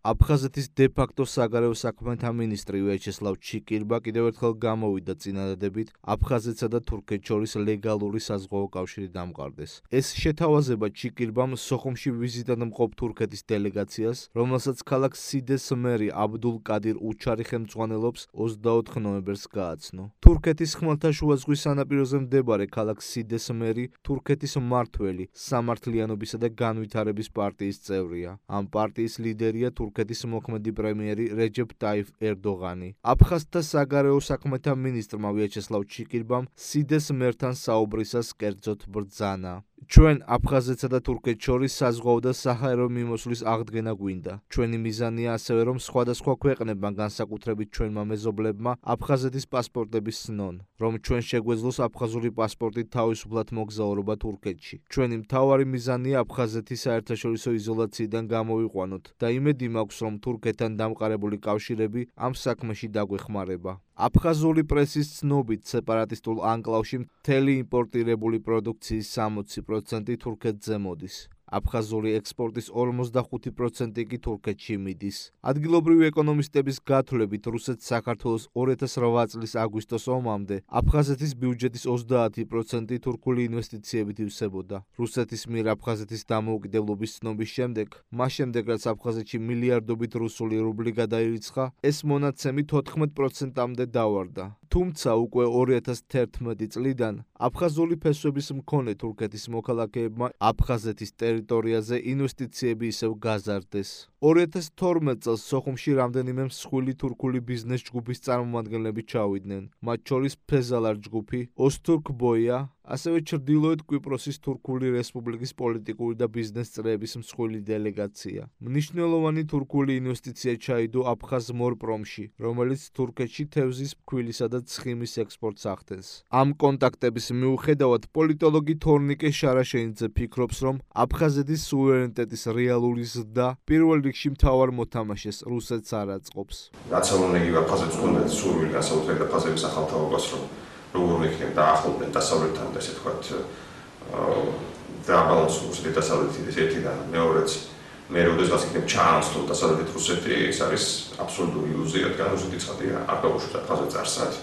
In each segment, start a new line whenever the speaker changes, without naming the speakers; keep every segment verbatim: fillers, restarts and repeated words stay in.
აფხაზეთის დე-ფაქტო საგარეო საქმეთა მინისტრი ვიაჩესლავ ჩიკირბა კიდევ ერთხელ გამოვიდა წინადადებით აფხაზეთსა და თურქეთს შორის ლეგალური საზღვაო კავშირი დამყარდეს. ეს შეთავაზება ჩიკირბამ სოხუმში ვიზიტად მყოფ თურქეთის დელეგაციას, რომელსაც ქალაქ სიდეს მერი აბდულ კადირ უჩარი ხელმძღვანელობს, ოცდაოთხ ნოემბერს გააცნო. თურქეთის ხმელთაშუა ზღვის სანაპიროზე მდებარე ქალაქ სიდეს მერი თურქეთის მმართველი სამართლიანობისა და განვითარების პარტიის წევრია. ამ პარტიის ლიდერია თურქეთის მოქმედი პრემიერი რეჯეფ ტაიფ ერდოღანი. აფხაზთა საგარეო საქმეთა მინისტრმა ვიაჩესლავ ჩიკირბამ სიდეს მერთან საუბრისას კერძოდ ბრძანა. ჩვენ აფხაზეთსა და თურქეთს შორის საზღვაო და საჰაერო მიმოსვლის აღდგენა გვინდა. ჩვენი მიზანია ასევე, რომ სხვადასხვა ქვეყნებმა, განსაკუთრებით ჩვენმა მეზობლებმა, აფხაზეთის პასპორტები სნონ, რომ ჩვენ შეგვეძლოს აფხაზური პასპორტით თავისუფლად მოგზაურობა თურქეთში. ჩვენი მთავარი მიზანია აფხაზეთის საერთაშორისო იზოლაციიდან გამოვიყვანოთ და იმედი მაქვს, რომ თურქეთთან დამყარებული კავშირები ამ საქმეში დაგვეხმარება. აფხაზური პრესის ცნობით, სეპარატისტულ ანკლავში მთელი იმპორტირებული პროდუქციის სამოცი პროცენტი თურქეთზე მოდის. აფხაზური ექსპორტის ორმოცდახუთი პროცენტი კი თურქეთში მიდის. ადგილობრივი ეკონომისტების გათვლებით, რუსეთს საქართველოს ორი ათას რვა წლის აგვისტოს ომამდე აფხაზეთის ბიუჯეტის ოცდაათი პროცენტი თურქული ინვესტიციებით ივსებოდა. რუსეთის მიერ აფხაზეთის დამოუკიდებლობის ცნობის შემდეგ, მას შემდეგ რაც აფხაზეთში მილიარდობით რუსული რუბლი გადაირიცხა, ეს მონაცემი თოთხმეტ პროცენტამდე დავარდა. თუმცა უკვე ორი ათას თერთმეტი წლიდან აფხაზური ფესვების მქონე თურქეთის მოქალაქეებმა აფხაზეთის ტერიტორიაზე ინვესტიციები ისევ გაზარდეს. ორი ათას თორმეტ წელს სოხუმში რამდენიმე მსხვილი თურქული ბიზნეს ჯგუფის წარმომადგენლები ჩავიდნენ, მათ შორის ფეზალარ ჯგუფი, ოსთურქ ბოია, ასევე ჩრდილოეთ კვიპროსის თურქული რესპუბლიკის პოლიტიკური და ბიზნეს წრეების მსხვილი დელეგაცია. მნიშვნელოვანი თურქული ინვესტიცია ჩაიდო აფხაზ მორპრომში, რომელიც თურქეთში თევზის, ფქვილისა და ცხიმის ექსპორტს ახდენს. ამ კონტაქტების მიუხედავად, პოლიტოლოგი თორნიკე შარაშენიძე ფიქრობს, რომ აფხაზეთის სუვერენიტეტის რეალური ზრდა პირველ რიგში მთავარ მოთამაშეს რუსეთს არ აწყობს.
რაც ამონეგი აფხაზეთს უნდა სურვილი განსაკუთრებით აფხაზების ახალთაობას, რომ როგორ იქნება დაახლოვდნენ დასავლეთთან და ესე ვთქვათ დააბალანსოს რუსეთი დასავლეთი ერთიდან მეორეც მე როდესაც იქნება ჩაანაცვლო დასავლეთ რუსეთი, ეს არის აბსოლუტური ილუზია, რადგან რუსეთი ცხადია არ გაუშვით აფხაზეთს არსად.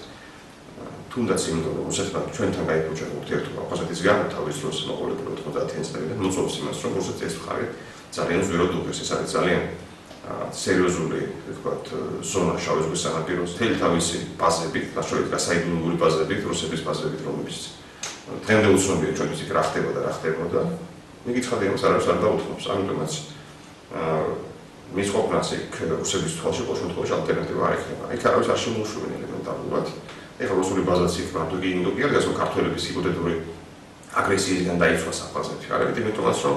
თუნდაც იმიტომ რომ რუსეთმა ჩვენთან გაიფუჭა ურთიერთობა აფხაზეთის გარდა თავის დროს მოყოლებული ოთხმოცდაათი წლიდან მოწოდს იმას რომ რუსეთი ეს მხარე ძალიან ზვერად უღებს, ეს არის ძალიან სერიოზული, ვთქვათ, ზონა შავი ზღვის სანაპიროზე. მთელი თავისი ბაზებით, გასწორებით გასაიდუმლოური ბაზებით, რუსების ბაზებით, რომლებიც დღემდე უცნობია ჩვენთვის იქ რა ხდება და რა ხდებოდა. მიგიცხადე იმას არავის არ დაუთმობს, ამიტომაც მის ყოფნას იქ რუსების თვალში ყოველ შემთხვევაში ალტერნატივა არ იქნება. იქ არავის არ შემოუშვებენ ელემენტარულად. ეხლა რუსული ბაზაც იქ მარტო კი ინდო კი არ გასულ ქართველების ჰიპოთეტური აგრესიისგან დაიცვას აფხაზეთი. არამედ იმიტომაც რომ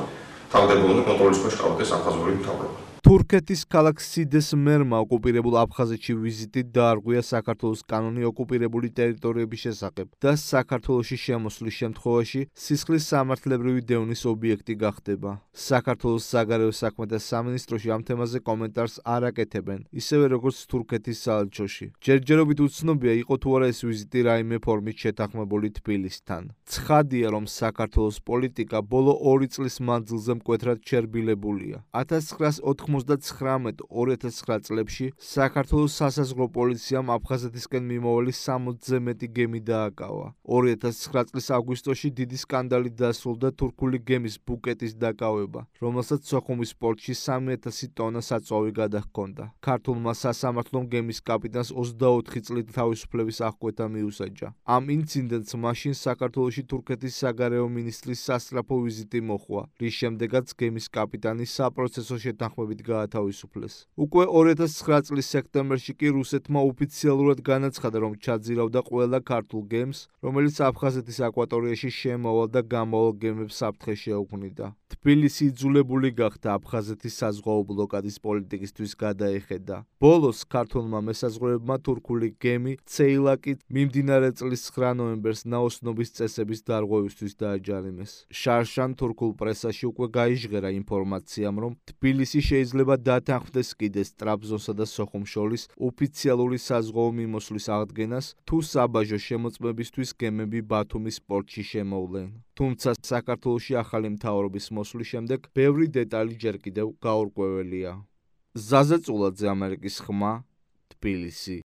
თავდებულნი კონტროლის ქვეშ ყავდეს აფხაზური მთავრობა.
თურქეთის ქალაქ სიდეს მერმა ოკუპირებულ აფხაზეთში ვიზიტით დაარღვია საქართველოს კანონი ოკუპირებული ტერიტორიების შესახებ და საქართველოში შემოსვლის შემთხვევაში სისხლის სამართლებრივი დევნის ობიექტი გახდება. საქართველოს საგარეო საქმეთა სამინისტროში ამ თემაზე კომენტარს არ აკეთებენ, ისევე როგორც თურქეთის საელჩოში. ჯერჯერობით უცნობია, იყო თუ არა ეს ვიზიტი რაიმე ფორმით შეთანხმებული თბილისთან. ცხადია, რომ საქართველოს პოლიტიკა ბოლო ორი წლის მანძილზე მკვეთრად ჩერბილებულია. ათას ცხრაას ოცდაცხრამეტ ორი ათას ცხრა წლებში საქართველოს სასაზღვრო პოლიციამ აფხაზეთისკენ მიმავალი სამოცზე მეტი გემი დააკავა. ორი ათას ცხრა წლის აგვისტოში დიდი სკანდალი დასრულდა თურქული გემის ბუკეტის დაკავება, რომელსაც სოხუმის პორტში სამი ათასი ტონა საწვავი გადაჰქონდა. ქართულმა სასამართლომ გემის კაპიტანს ოცდაოთხი წლით თავისუფლების აღკვეთა მიუსაჯა. ამ ინციდენტს მაშინ საქართველოში თურქეთის საგარეო მინისტრის სასწრაფო ვიზიტი მოჰყვა, რის შემდეგაც გემის კაპიტანი საპროცესო შეთანხმებით გაათავისუფლეს. უკვე ორი ათას ცხრა წლის სექტემბერში კი რუსეთმა ოფიციალურად განაცხადა, რომ ჩაძირავდა ყველა ქართულ გემს, რომელიც აფხაზეთის აკვატორიაში შემავალ და გამავალ გემებს საფრთხე შეუქმნიდა. თბილისი იძულებული გახდა აფხაზეთის საზღვაო ბლოკადის პოლიტიკისთვის გადაეხედა. ბოლოს ქართულმა მესაზღვრეებმა თურქული გემი ცეილაკით მიმდინარე წლის ცხრა ნოემბერს ნაოსნობის წესების დარღვევისთვის დააჯარიმეს. შარშან თურქულ პრესაში უკვე გაიჟღერა ინფორმაციამ, რომ თბილისი შეიძლება დათანხმდეს კიდეს ტრაბზონსა და სოხუმს შორის ოფიციალური საზღვაო მიმოსვლის აღდგენას, თუ საბაჟო შემოწმებისთვის გემები ბათუმის პორტში შემოვლენ. თუმცა საქართველოში ახალი მთავრობის მოსვლის შემდეგ ბევრი დეტალი ჯერ კიდევ გაურკვეველია. ზაზე წულაძე, ამერიკის ხმა, თბილისი.